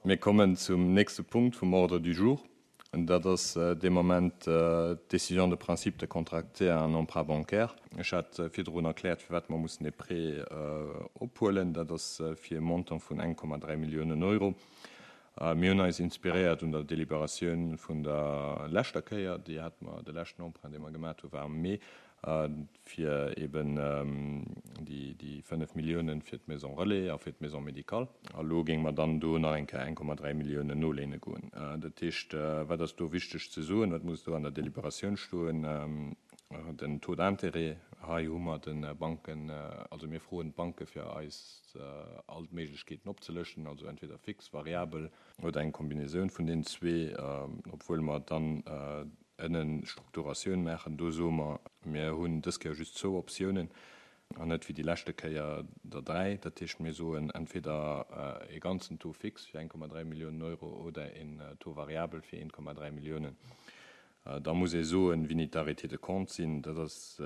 Mir kommen zum nächste Punkt vum Ordre du jour. Dat ass dee Moment d'Décision de principe de contracter un emprunt bancaire. Ech hat virdrun erkläert, firwat mer mussen dee Prêt ophuelen. Dat ass fir e Montant vun 1,3 Milliounen Euro. Mir hunn eis inspiréiert un der Deliberatioun vun der leschter Kéier. Déi hate mer, de leschten Emprunt, dee mer gemat hu war am Mee, fir eben déi 5 Milliounen fir d'Maison relais a fir d'Maison médicale. A lo géinge mer dann do nach eng Kéier 1,3 Milliounen noléine goen. Dat heescht, wat ass do wichteg ze soen, wat muss do an der Deliberatioun stoen? Den Taux d'intérêt, hei hu mer de Banken, also mir froen d'Banke fir eis all d'Méiglechkeeten opzelëschten, also entweder fix, variabel oder eng Kombinaisoun vun deenen zwee, obwuel mer dann ënnen Strukturatioun maachen. Do soe mer, mir hunn dës Kéier just zwou Optiounen an net wéi déi leschte Kéier der dräi. Dat heescht, mir soen entweder e ganzen Taux fixe fir 1,3 Milliounen Euro oder en Taux variabel fir 1,3 Milliounen. Da muss ee soen, wéini d'Arrêtés de compte sinn. Dat ass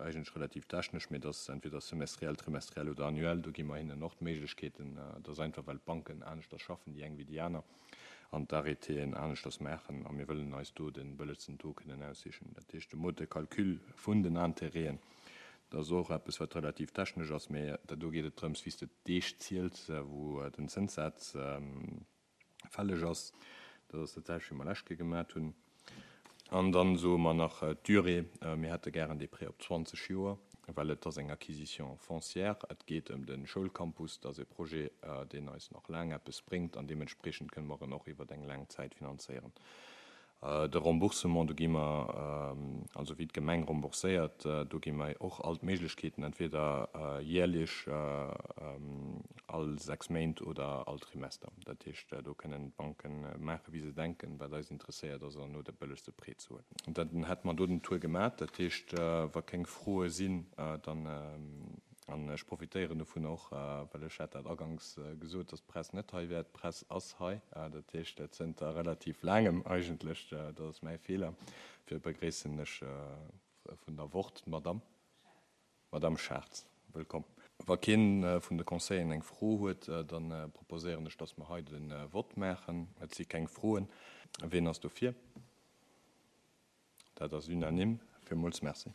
eigentlech relativ technesch, mee dat ass entweder semestriell, trimestriell oder annuell. Do gi mer hinnen och d'Méiglechkeeten. Dat ass einfach, well d'Banken aneschters schaffen, déi eng wéi déi aner, an d'Arrêtéen aneschters maachen. A mir wëllen eis do de bëllegsten Taux kënnen aussichen. Dat heescht, de Mode de calcul vun den Intérêten, dat ass och eppes, wat relativ technesch ass, mee do geet et drëms, wéi s de d'Deeg ziels, wou den Zënssaz fälleg ass. Dat ass dat selwecht, wéi mer lescht Kéier gemat hunn. An dann soe mer nach d'Durée. Mir hätte gären dee Prêt op 20 Joer, well et ass eng Acquisition foncière. Et geet ëm de Schoulcampus. Dat ass e Projet, deen eis nach laang eppes bréngt an deementspreechend kënne mer en och iwwer eng laang Zäit finanzéieren. De Remboursement, do gi mer, also wéi d'Gemeng rembourséiert, do gi mer och all d'Méiglechkeeten, entweder jäerlech, all 6 Méint oder all Trimester. Dat heescht, do kënnen d'Banke maache wéi se denken. Wat eis interesséiert, ass herno de bëllegste Prêt ze huelen. Dann hätte mer do den Tour gemat. Dat heescht, wa keng Froe sinn, dann. An ech profitéieren dovun och, well ech hat dat aganks gesot, dass d'Press net hei wär. D'Press ass hei, dat heescht zënter relativ laangem eigentlech. Dat ass mäi Feeler. Dofir begréissen ech vun der Wort d'Madamm, Madamm Schartz. Wëllkomm. Wa kee vun de Conseilleren eng Fro huet, da proposéieren ech, dass mer hei de Vott maachen. Et si keng Froen. Ween ass dofir? Dat ass unanime. Villmools Merci.